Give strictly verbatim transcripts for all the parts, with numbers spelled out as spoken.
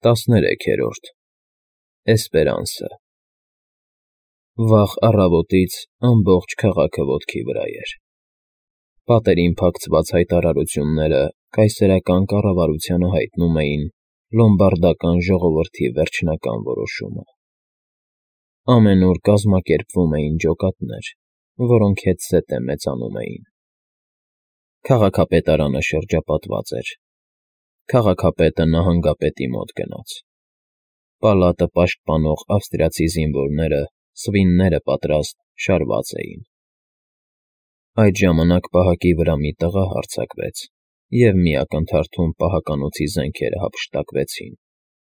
տասներեքերորդ Էսպերանսը Վաղ առավոտից ամբողջ քաղաքը ոտքի վրա էր. պատերին փակցված հայտարարությունները կայսերական կառավարությանը հայտնում էին լոմբարդական ժողովրդի վերջնական որոշումը. ամենուր կազմակերպվում էին ջոկատներ, որոնք հետզհետե մեծանում էին. քաղաքապետարանը շրջապատված էր. քաղաքապետը նահանգապետի մոտ գնաց. պալատը պաշտպանող ավստրիացի զինվորները, սվինները պատրաստ, շարված էին. Այդ ժամանակ պահակի վրա մի տղա հարձակվեց, և մի ակնթարթում պահականոցի զենքերը հափշտակվեցին,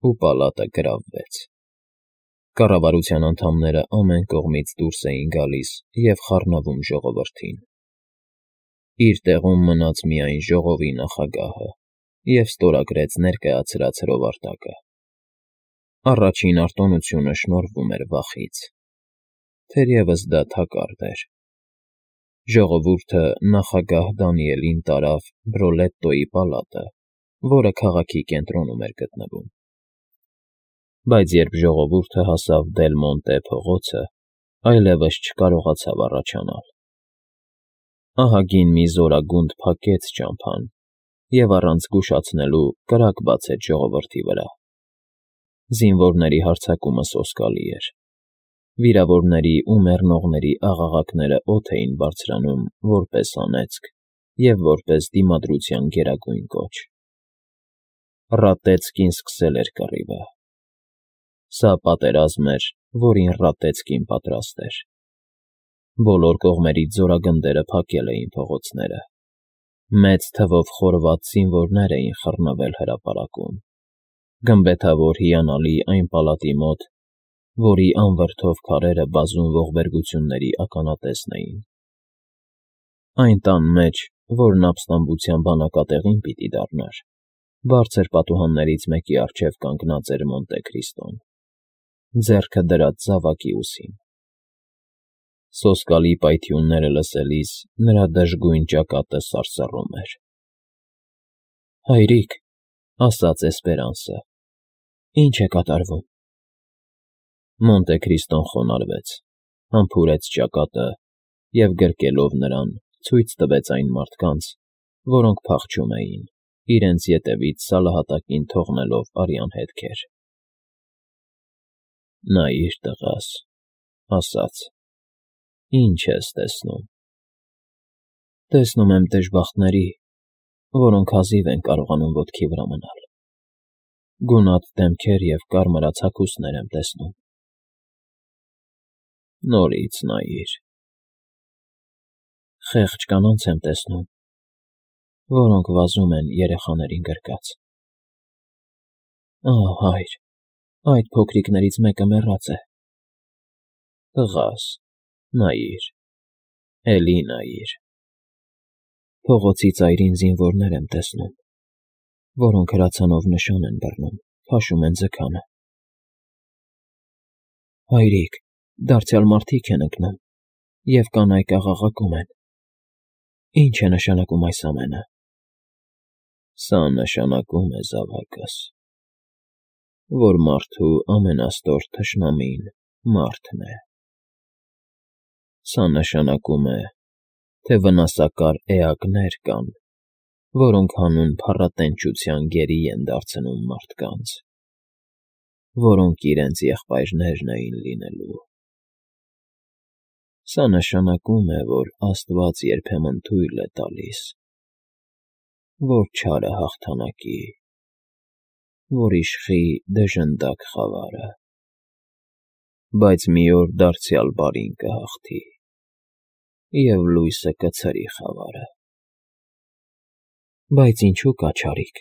ու պալատը գրավվեց. կառավարության անդամները ամեն կողմից դուրս էին գալիս և խառնվում ժողովրդին. իր տեղում մնաց միայն ժողովի նախագահը և ստորագրեց ներկայացրած հրովարտակը. առաջին արտոնությունը շնորհվում էր վախից, թերևս դա թակարդ էր. ժողովուրդը նախագահ Դանիելին տարավ Բրոլետտոյի պալատը, որը քաղաքի կենտրոնում էր գտնվում. բայց երբ ժողովուրդը հասավ Դել Մոնտե փողոցը, այլևս չկարողացավ առաջանալ. ահագին մի զորագունդ փակեց ճամփան և առանց զգուշացնելու կրակ բացեց ժողովրդի վրա. զինվորների հարձակումը սոսկալի էր. վիրավորների ու մեռնողների աղաղակները օդ էին բարձրանում որպես անեծք և որպես դիմադրության գերագույն կոչ. Ռատեցկին սկսել էր կռիվը. սա պատերազմ էր, որին Ռատեցկին պատրաստ էր. բոլոր կողմերից զորագնդերը փակել էին փողոցները. մեծ թվով խորված զինվորներ էին խռնվել հրապարակում. գմբեթավոր հիանալի այն պալատի մոտ, որի անվրդով քարերը բազում ողբերգությունների ականատեսն էին. այն տան մեջ, որն ապստամբության բանակատեղին պիտի դառնար, բարձր պատուհաններից մեկի առջև կանգնած էր Մոնտե Քրիստոն, ձեռքը դրած զավակի ուսին. սոսկալի պայթյունները լսելիս նրա դժգույն ճակատը սարսռում էր. «Հայրիկ», ասաց Էսպերանսը, «ի՞նչ է կատարվում»։ Մոնտե Քրիստոն խոնարհվեց, համբուրեց ճակատը և գրկելով նրան ցույց տվեց այն մարդկանց, որոնք փախչում էին, իրենց ետևից սալահատակին թողնելով արյան հետքեր։ «Նայիր, տղաս», ասաց, «ի՞նչ ես տեսնում»։ «Տեսնում եմ դժբախտների, որոնք հազիվ են կարողանում ոտքի վրա մնալ. գունատ դեմքեր և կարմրած հագուստներ եմ տեսնում»։ «Նորից նայիր»։ «Խեղճ կանանց եմ տեսնում, որոնք վազում են երեխաներին գրկած»։ «Ահ, հայր, այդ փոքրիկներից մեկը մեռած է»։ «Տղաս, նայիր, էլի նայիր»։ «Փողոցի ծայրին զինվորներ եմ տեսնում, որոնք հրացանով նշան են բռնում, քաշում են ձգանը»։ «Հայրիկ, դարձյալ մարդիկ են ընկնում, և կանայք աղաղակում են. ի՞նչ է նշանակում այս ամենը»։ «Սա նշանակում է, զավակս, որ մարդու ամենաստոր թշնամին մարդն է։ Սա նշանակում է, թե վնասակար էակներ կան, որոնք հանուն փառատենչության գերի են դարձնում մարդկանց, որոնք իրենց եղբայրներն էին լինելու։ Սա նշանակում է, որ Աստված երբեմն թույլ է տալիս, որ չարը հաղթանակի, որ իշխի դժնդակ խավարը, բայց մի օր դարձյալ բարին կհաղթի, և լույսը կցրի խավարը»։ «Բայց ինչու կա չարիք,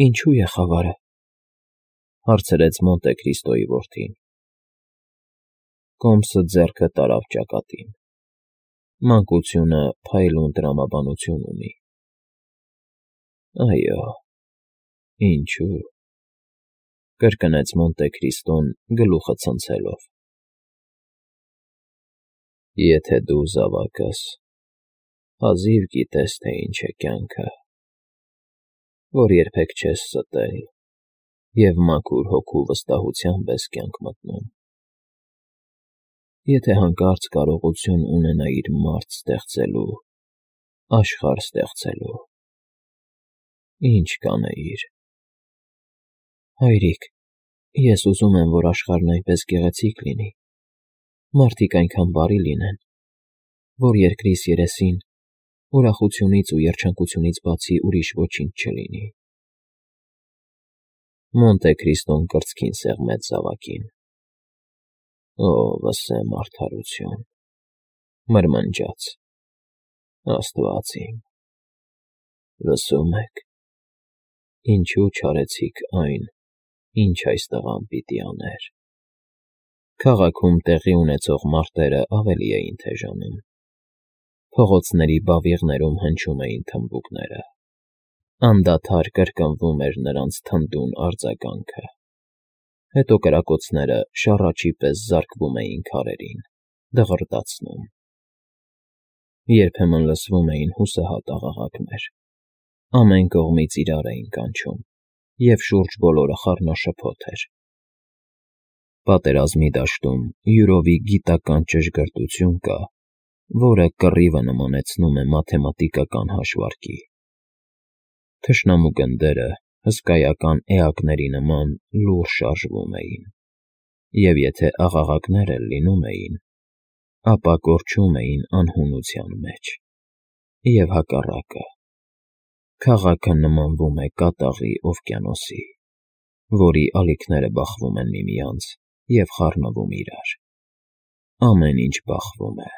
ինչու է խավարը»։ հարցրեց Մոնտե Քրիստոյի որդին. Կոմսը ձեռքը տարավ ճակատին. մանկությունը փայլուն տրամաբանություն ունի։ «Այո, ինչու», կրկնեց Մոնտե Քրիստոն գլուխը ցնցելով. «Եթե դու, զավակս, հազիվ գիտես, թե ինչ է կյանքը, որ երբեք չես ստել, և մաքուր հոգու վստահությամբ ես կյանք մտնում։ Եթե հանկարծ կարողություն ունենայիր մարդ ստեղծելու, աշխարհ ստեղծելու, ի՞նչ կանեիր։ Հայրիկ, ես ուզում եմ, որ աշխարհն այնպես գեղեցիկ լինի, մարդիկ այնքան բարի լինեն, որ երկրիս երեսին ուրախությունից ու երջանկությունից բացի ուրիշ ոչինչ չլինի։ Մոնտե Քրիստոն կրծքին սեղմեց զավակին։ Ո՜, վսեմ արդարություն, մրմնջաց. Աստված իմ, լսո՞ւմ եք, ինչու չարեցիք այն, ինչ այս տղան պիտի աներ։ Քաղաքում տեղի ունեցող մարտերը ավելի էին թեժանում։ Փողոցների բավիղներում հնչում էին թմբուկները։ Անդադար կրկնվում էր նրանց թնդուն արձագանքը։ Հետո կրակոցները շառաչի պես զարկվում էին քարերին, դղրդացնում։ Երբեմն լսվում էին հուսահատ աղաղակներ։ Ամեն կողմից իրար էին կանչում, և շուրջ բոլորը խառնաշփոթ էր։ Պատերազմի դաշտում յուրովի գիտական ճշգրտություն կա, որը կռիվը նմանեցնում է մաթեմատիկական հաշվարկի։ Թշնամու գնդերը հսկայական էակների նման լուռ շարժվում էին, և եթե աղաղակներ էլ լինում էին, ապա կորչում էին անհունության մեջ, և հակառակը, քաղաքը նմանվում է կատաղի օվկիանոսի, որի ալիքները բախվում են միմյանց և խառնվում իրար։ Ամեն ինչ բախվում է,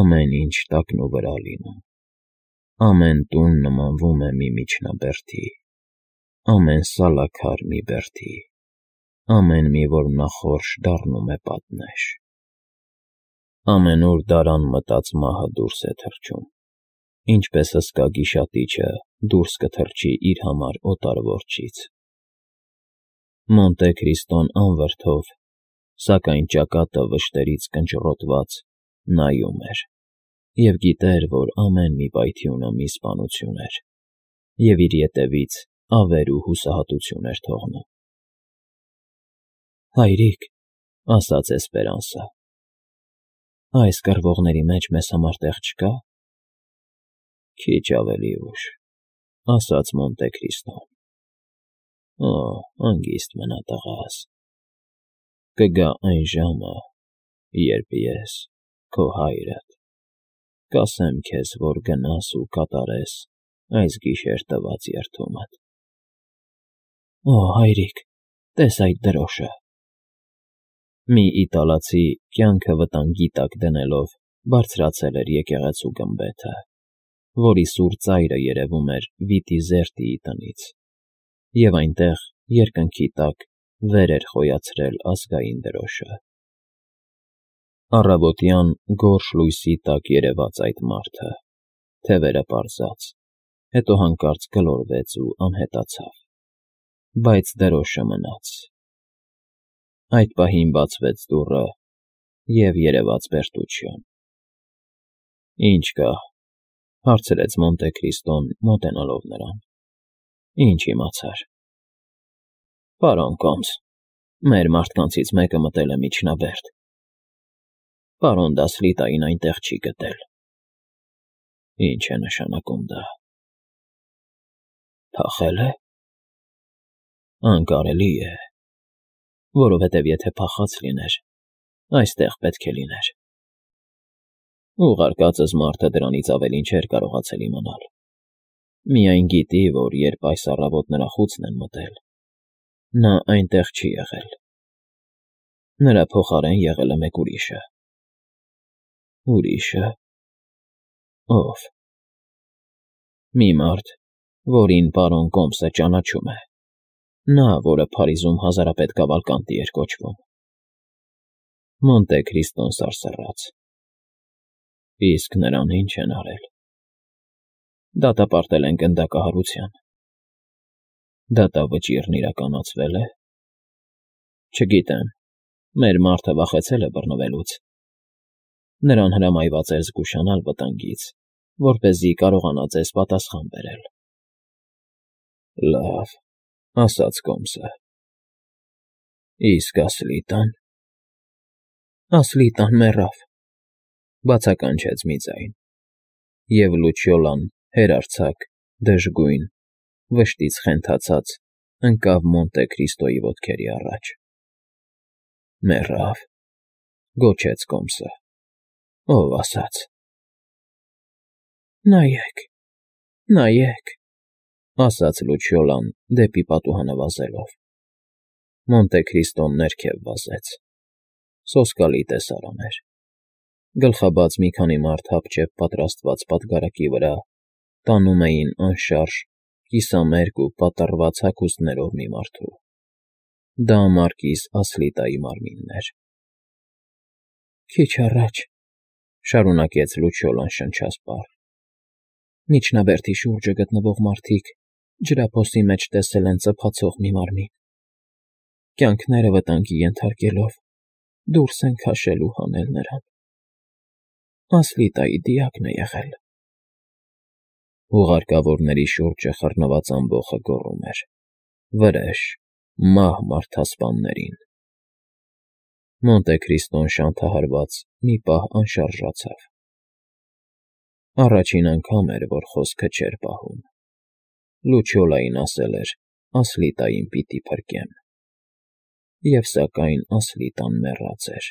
ամեն ինչ տակնուվրա լինում, ամեն տուն նմանվում է մի միջնաբերդի, ամեն սալաքար մի բերդի, ամեն մի որմնախորշ դառնում է պատնեշ։ Ամենուր դարան մտած մահը դուրս է թռչում, ինչպես հսկա գիշատիչը դուրս կթռչի իր համար օտար որջից։ Մոնտե Քրիստոն անվրդով, սակայն ճակատը վշտերից կնճռոտված, նայում էր, և գիտեր, որ ամեն մի պայթյունը մի սպանություն էր, և իր ետևից ավեր ու հուսահատություն էր թողնում։ Հայրիկ, ֊ ասաց Էսպերանսը, ֊ այս կռվողների մեջ մեզ համար տեղ չկա՞։ Քիչ ավելի ուշ, ֊ ասաց Մոնտե Քրիստոն։ Օ, հանգիստ մնա, տղաս, կգա այն ժամը, երբ ես, քո հայրդ, կասեմ քեզ, որ գնաս ու կատարես այս գիշեր տված երդումդ։ Օ, հայրիկ, տես այդ դրոշը։ Մի իտալացի, կյանքը վտանգի տակ դնելով, բարձրացել էր եկեղեցու գմբեթը, որի սուր ծայրը երևում էր Վիտիզերտիի տնից, և այնտեղ, երկնքի տակ, վեր էր խոյացրել ազգային դրոշը։ Առավոտյան գորշ լույսի տակ երևաց այդ մարդը, թևերը պարզած, հետո հանկարծ գլորվեց ու անհետացավ, բայց դրոշը մնաց։ Այդ պահին բացվեց դուռը, և երևաց Բերտուչիոն։ Ի՞նչ կա, ֊ հարցրեց Մոնտե Քրիստոն, մոտենալով նրան։ Ինչ իմացար։ Պարոն Կոմս, մեր մարդկանցից մեկը մտել է միջնաբերդ։ Պարոն Դասլիտային այնտեղ չի գտել։ Ինչ է նշանակում դա։ Փախե՞լ է։ Անկարելի է, որովհետև եթե փախած լիներ, այստեղ պետք է լիներ։ Ուղարկածս մարդը դրանից ավելին չէր կարողացել իմանալ։ Միայն գիտի, որ երբ այս առավոտ նրա խուցն են մտել, նա այնտեղ չի եղել։ Նրա փոխարեն եղել է մեկ ուրիշը։ Ուրիշը։ Ո՞վ։ Մի մարդ, որին պարոն Կոմսը ճանաչում է, նա, որը Փարիզում հազարապետ Կավալկանտի էր կոչվում։ Մոնտե Քրիստոն սարսռաց։ Իսկ նրան ի՞նչ են արել։ Դատապարտել են գնդակահարության։ Դատավճիռն իրականացվե՞լ է։ Չգիտեմ, մեր մարդը վախեցել է բռնվելուց։ Նրան հրամայված էր զգուշանալ վտանգից, որպեսզի կարողանա ձեզ պատասխան բերել։ Լավ, ասաց Կոմսը։ Իսկ Ասլիտան… Ասլիտան մեռավ, բացականչեց մի ձայն, և լուչիոլան հեռարձակ, դժգույն, վշտից խենթացած ընկավ Մոնտե Քրիստոյի ոտքերի առաջ։ Մեռավ, գոչեց Կոմսը, ով ասաց։ Նայեք, նայեք, ասաց լուչիոլան դեպի պատուհանը վազելով։ Մոնտե Քրիստոն ներքև վազեց, սոսկալի տեսարան էր, գլխաբաց մի քանի մարդ հապճեպ պատրաստված պատգարակի վրա տանում էին անշարժ, կիսամերկ ու պատառված հագուստներով մի մարդու։ Դա մարկիս Ասլիտայի մարմինն էր։ Քիչ առաջ, շարունակեց լուչիոլան շնչասպառ, միջնաբերդի շուրջը գտնվող մարդիկ ջրափոսի մեջ տեսել են ծփացող մի մարմին, կյանքները վտանգի ենթարկելով դուրս են քաշել ու հանել նրան։ Ասլիտայի դիակն է եղել։ Ուղարկավորների շուրջը խռնված ամբոխը գոռում էր. «Վրեժ, մահ մարդասպաններին»։ Մոնտե Քրիստոն շանթահարված մի պահ անշարժացավ։ Առաջին անգամ էր, որ խոսքը չէր պահում։ Լուչիոլային ասել էր. «Ասլիտային պիտի փրկեմ»։ Եվ սակայն Ասլիտան մեռած էր։